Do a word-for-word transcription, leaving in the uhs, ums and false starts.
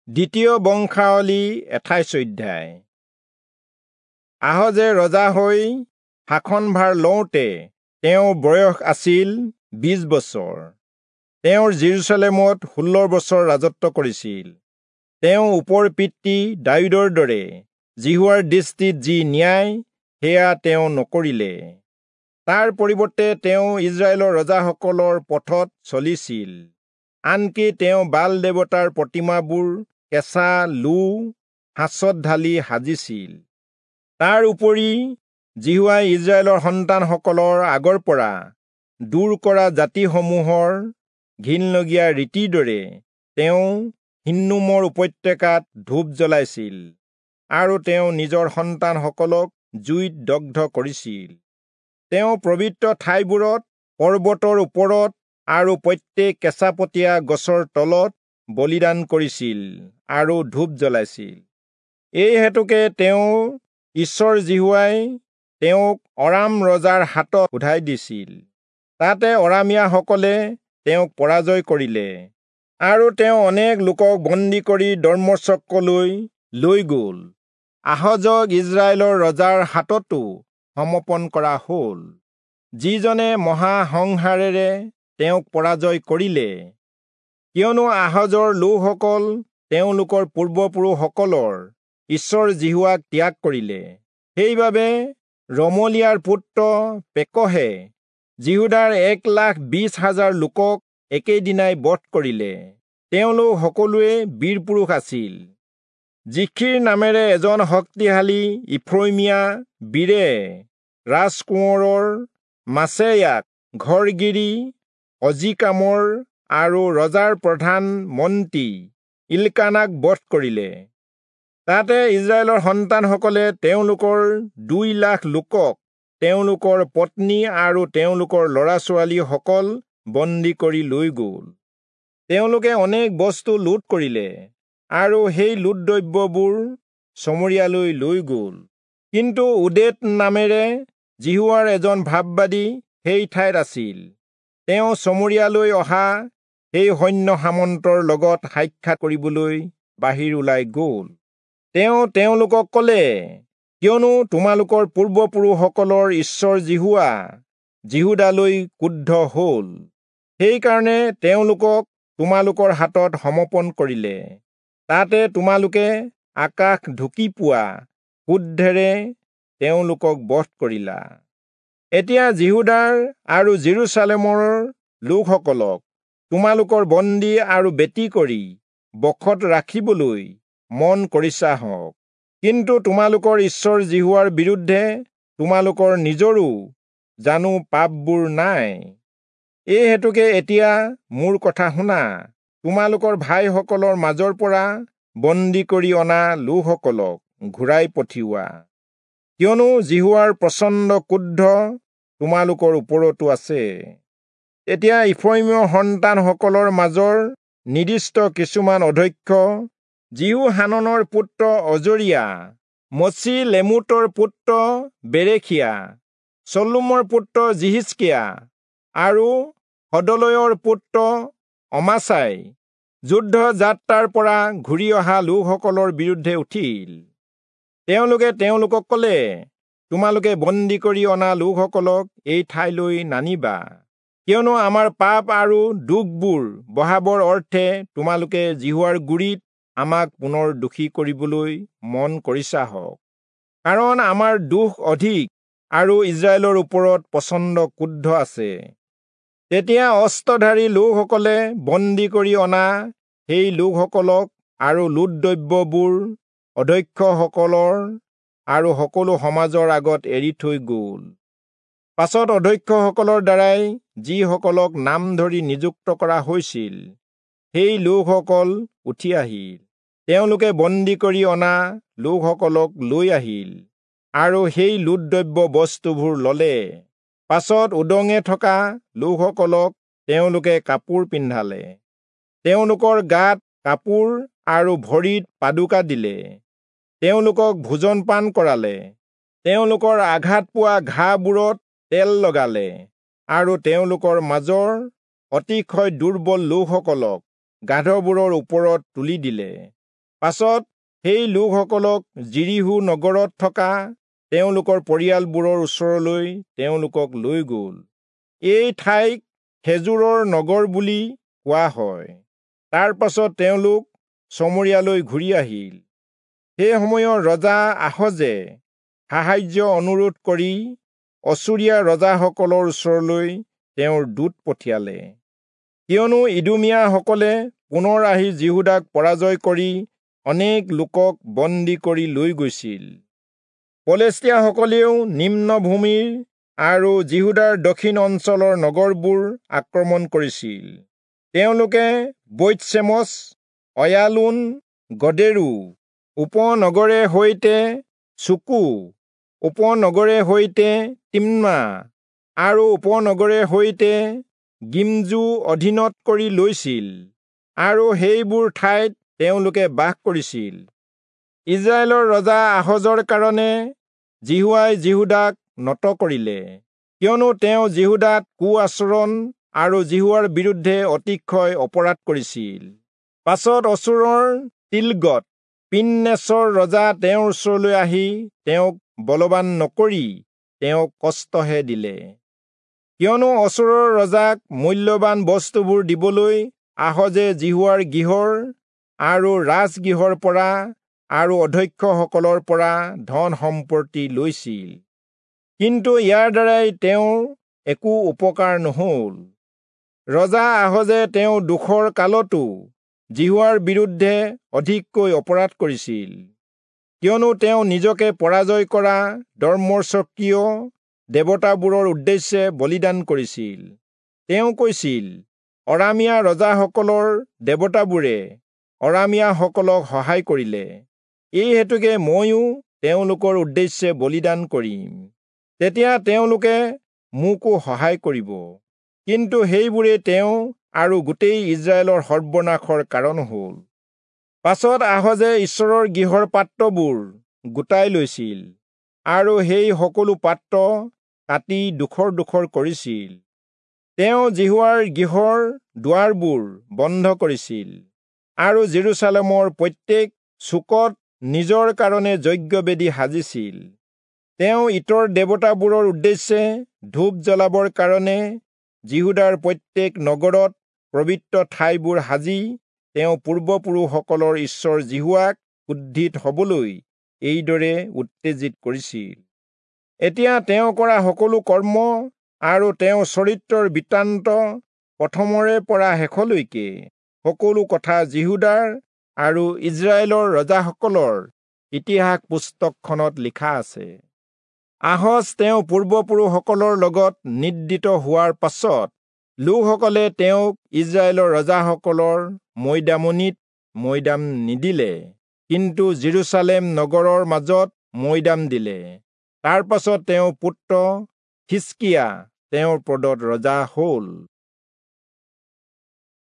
দ্বিতীয় বংশাৱলী আঠাইশ অধ্যায়। আহজে ৰজা হৈ শাসনভাৰ লওঁতে তেওঁৰ বয়স আছিল বিশ বছৰ। তেওঁ যিৰূচালেমত ষোল্ল বছৰ ৰাজত্ব কৰিছিল। তেওঁ ওপৰ পিতৃ দায়ূদৰ দৰে যিহোৱাৰ দৃষ্টিত যি ন্যায় সেয়া তেওঁ নকৰিলে। তাৰ পৰিৱৰ্তে তেওঁ ইস্ৰায়েলৰ ৰজাসকলৰ পথত চলিছিল। আনকি তেওঁ বাল দেৱতাৰ প্ৰতিমাবোৰ কেঁচা লো সাঁচত ঢালি সাজিছিল। তাৰ উপৰি যিহোৱাই ইস্ৰায়েলৰ সন্তানসকলৰ আগৰ পৰা দূৰ কৰা জাতিসমূহৰ ঘিণলগীয়া ৰীতিৰ দৰে তেওঁ হিন্নোমৰ উপত্যকাত ধূপ জ্বলাইছিল আৰু তেওঁ নিজৰ সন্তানসকলক জুইত দগ্ধ কৰিছিল। তেওঁ পবিত্ৰ ঠাইবোৰত, পৰ্বতৰ ওপৰত আৰু প্ৰত্যেক কেঁচাপতীয়া গছৰ তলত বলিদান কৰিছিল আৰু ধূপ জ্বলাইছিল। এই হেতুকে তেওঁ ঈশ্বৰ যিহোৱাই তেওঁক অৰাম ৰজাৰ হাতত শোধাই দিছিল। তাতে অৰামীয়াসকলে তেওঁক পৰাজয় কৰিলে আৰু তেওঁ অনেক লোকক বন্দী কৰি দম্মেচকলৈ লৈ গ'ল। আহজক ইস্ৰায়েলৰ ৰজাৰ হাততো সমৰ্পণ কৰা হ'ল, যিজনে মহাসংহাৰেৰে তেওঁক পৰাজয় কৰিলে। কিয়নো আহজৰ লোকসকল তেওঁলোকৰ পূৰ্বপুৰুষসকলৰ ঈশ্বৰ যিহোৱাক ত্যাগ কৰিলে। সেইবাবে ৰমলিয়াৰ পুত্ৰ পেকহে যিহূদাৰ এক লাখ বিশ হাজাৰ লোকক একেদিনাই বধ কৰিলে। তেওঁলোক সকলোৱে বীৰ পুৰুষ আছিল। জিখ্ৰীৰ নামেৰে এজন শক্তিশালী ইফ্ৰয়িমীয়া বীৰে ৰাজকোঁৱৰৰ মাচেয়াক ঘৰগিৰী অজীকামৰ আৰু ৰজাৰ প্ৰধান মন্ত্ৰী ইল্কানাক বধ কৰিলে। তাতে ইস্ৰায়েলৰ সন্তানসকলে তেওঁলোকৰ দুই লাখ লোকক, তেওঁলোকৰ পত্নী আৰু তেওঁলোকৰ ল'ৰা ছোৱালীসকল বন্দী কৰি লৈ গ'ল। তেওঁলোকে অনেক বস্তু লুট কৰিলে আৰু সেই লুটদ্ৰব্যবোৰ চমৰীয়ালৈ লৈ গ'ল। কিন্তু ওদেদ নামেৰে যিহোৱাৰ এজন ভাববাদী সেই ঠাইত আছিল। তেওঁ চমৰীয়ালৈ অহা সেই সৈন্য সামন্তৰ লগত সাক্ষাৎ কৰিবলৈ বাহিৰ ওলাই গ'ল। তেওঁ তেওঁলোকক ক'লে, কিয়নো তোমালোকৰ পূৰ্বপুৰুষসকলৰ ঈশ্বৰ যিহোৱা যিহূদালৈ ক্ৰুদ্ধ হ'ল, সেইকাৰণে তেওঁলোকক তোমালোকৰ হাতত সমৰ্পণ কৰিলে। তাতে তোমালোকে আকাশ ঢুকি পোৱা ক্ৰোধেৰে তেওঁলোকক বধ কৰিলা। এতিয়া যিহূদাৰ আৰু যিৰূচালেমৰ লোকসকলক তোমালোকৰ বন্দী আৰু বেটী কৰি বশত ৰাখিবলৈ মন কৰিছা হওক। কিন্তু তোমালোকৰ ঈশ্বৰ যিহোৱাৰ বিৰুদ্ধে তোমালোকৰ নিজৰো জানো পাপবোৰ নাই? এই হেতুকে এতিয়া মোৰ কথা শুনা। তোমালোকৰ ভাইসকলৰ মাজৰ পৰা বন্দী কৰি অনা লোকসকলক ঘূৰাই পঠিওৱা, কিয়নো যিহোৱাৰ প্ৰচণ্ড ক্ৰোধ তোমালোকৰ ওপৰতো আছে। তেতিয়া ইফ্ৰয়িমৰ সন্তানসকলৰ মাজৰ নিৰ্দিষ্ট কিছুমান অধ্যক্ষ যিহোহাননৰ পুত্ৰ অজৰিয়া, মচি-লেমোটৰ পুত্ৰ বেৰেখিয়া, চল্লুমৰ পুত্ৰ যিহিষ্কিয়া আৰু হদলয়ৰ পুত্ৰ অমাচাই যুদ্ধ যাত্ৰাৰ পৰা ঘূৰি অহা লোকসকলৰ বিৰুদ্ধে উঠিল। তেওঁলোকে তেওঁলোকক ক'লে, তোমালোকে বন্দী কৰি অনা লোকসকলক এই ঠাইলৈ নানিবা, কিয়নো আমাৰ পাপ আৰু দুখবোৰ বঢ়াবৰ অৰ্থে তোমালোকে যিহোৱাৰ গুৰিত আমাক পুনৰ দোষী কৰিবলৈ মন কৰিছা হওক। কাৰণ আমাৰ দুখ অধিক আৰু ইস্ৰায়েলৰ ওপৰত প্ৰচণ্ড ক্ৰোধ আছে। তেতিয়া অস্ত্ৰধাৰী লোকসকলে বন্দী কৰি অনা সেই লোকসকলক আৰু লুটদ্ৰব্যবোৰ অধ্যক্ষসকলৰ আৰু সকলো সমাজৰ আগত এৰি থৈ গ'ল। পাছত অধ্যক্ষসকলৰ দ্বাৰাই যিসকলক নাম ধৰি নিযুক্ত কৰা হৈছিল, সেই লোকসকল উঠি আহিল। তেওঁলোকে বন্দী কৰি অনা লোকসকলক লৈ আহিল আৰু সেই লুটদ্ৰব্য বস্তুবোৰ ল'লে। পাছত উদঙে থকা লোকসকলক তেওঁলোকে কাপোৰ পিন্ধালে, তেওঁলোকৰ গাত কাপোৰ আৰু ভৰিত পাদুকা দিলে, তেওঁলোকক ভোজন পান কৰালে, তেওঁলোকৰ আঘাত পোৱা ঘাঁবোৰত তেল লগালে আৰু তেওঁলোকৰ মাজৰ অতিশয় দুৰ্বল লোকসকলক গাধবোৰৰ ওপৰত তুলি দিলে। পাছত সেই লোকসকলক যিৰীহো নগৰত থকা তেওঁলোকৰ পৰিয়ালবোৰৰ ওচৰলৈ তেওঁলোকক লৈ গ'ল। এই ঠাইক খেজুৰৰ নগৰ বুলি কোৱা হয়। তাৰ পাছত তেওঁলোক চমৰীয়ালৈ ঘূৰি আহিল। সেই সময়ৰ ৰজা আহজে সাহায্য অনুৰোধ কৰি অচুৰীয়া ৰজাসকলৰ ওচৰলৈ তেওঁৰ দূত পঠিয়ালে, কিয়নো ইদোমীয়াসকলে পুনৰ আহি যিহূদাক পৰাজয় কৰি অনেক লোকক বন্দী কৰি লৈ গৈছিল। পলেষ্টীয়াসকলেও নিম্নভূমিৰ আৰু যিহূদাৰ দক্ষিণ অঞ্চলৰ নগৰবোৰ আক্ৰমণ কৰিছিল। তেওঁলোকে বৈৎচেমচ, অয়ালোন, গদেৰো উপনগৰে সৈতে চুকো উপনগৰে সৈতে তিম্না আৰু উপনগৰে সৈতে গিমজু অধীনত কৰি লৈছিল আৰু সেইবোৰ ঠাইত তেওঁলোকে বাস কৰিছিল। ইজৰাইলৰ ৰজা আহজৰ কাৰণে যিহোৱাই যিহূদাক নত কৰিলে, কিয়নো তেওঁ যিহূদাত কু আচৰণ আৰু যিহোৱাৰ বিৰুদ্ধে অতিশয় অপৰাধ কৰিছিল। পাছত অচুৰৰ তিলগত পিন্নেচৰ ৰজা তেওঁৰ ওচৰলৈ আহি তেওঁক বলৱান নকৰি তেওঁক কষ্টহে দিলে, কিয়নো অচুৰৰ ৰজাক মূল্যৱান বস্তুবোৰ দিবলৈ আহজে যিহোৱাৰ গৃহৰ আৰু ৰাজগৃহৰ পৰা আৰু অধ্যক্ষসকলৰ পৰা ধন সম্পত্তি লৈছিল। কিন্তু ইয়াৰ দ্বাৰাই তেওঁৰ একো উপকাৰ নহল। ৰজা আহজে তেওঁ দুখৰ কালতো যিহোৱাৰ বিৰুদ্ধে অধিককৈ অপৰাধ কৰিছিল, কিয়নো তেওঁ নিজকে পৰাজয় কৰা দৰ্মচকীয় দেৱতাবোৰৰ উদ্দেশ্যে বলিদান কৰিছিল। তেওঁ কৈছিল, অৰামীয়া ৰজাসকলৰ দেৱতাবোৰে অৰামীয়াসকলক সহায় কৰিলে, এই হেতুকে ময়ো তেওঁলোকৰ উদ্দেশ্যে বলিদান কৰিম, তেতিয়া তেওঁলোকে মোকো সহায় কৰিব। কিন্তু সেইবোৰে তেওঁ আৰু গোটেই ইজৰাইলৰ সৰ্বনাশৰ কাৰণ হ'ল। পাছত আহজে ঈশ্বৰৰ গৃহৰ পাত্ৰবোৰ গোটাই লৈছিল আৰু সেই সকলো পাত্ৰ কাটি ডোখৰ ডোখৰ কৰিছিল। তেওঁ যিহোৱাৰ গৃহৰ দুৱাৰবোৰ বন্ধ কৰিছিল আৰু জেৰুচালেমৰ প্ৰত্যেক চুকত নিজৰ কাৰণে যজ্ঞবেদী সাজিছিল। তেওঁ ইতৰ দেৱতাবোৰৰ উদ্দেশ্যে ধূপ জ্বলাবৰ কাৰণে যিহূদাৰ প্ৰত্যেক নগৰত পবিত্ৰ ঠাইবোৰ সাজি তেওঁ পূৰ্বপুৰুষসকলৰ ঈশ্বৰ যিহোৱাক ক্ৰোধিত হবলৈ এইদৰে উত্তেজিত কৰিছিল। এতিয়া তেওঁ কৰা সকলো কৰ্ম আৰু তেওঁৰ চৰিত্ৰৰ বৃত্তান্ত প্ৰথমৰে পৰা শেষলৈকে সকলো কথা যিহূদাৰ আৰু ইজৰাইলৰ ৰজাসকলৰ ইতিহাস পুস্তকখনত লিখা আছে। আহজ তেওঁ পূৰ্বপুৰুষসকলৰ লগত নিদ্ৰিত হোৱাৰ পাছত লোকসকলে তেওঁক ইজৰাইলৰ ৰজাসকলৰ মৈদামনিত মৈদাম নিদিলে, কিন্তু জেৰুচালেম নগৰৰ মাজত মৈদাম দিলে। তাৰ পাছত তেওঁৰ পুত্ৰ হিষ্কিয়া তেওঁৰ পদত ৰজা হ'ল।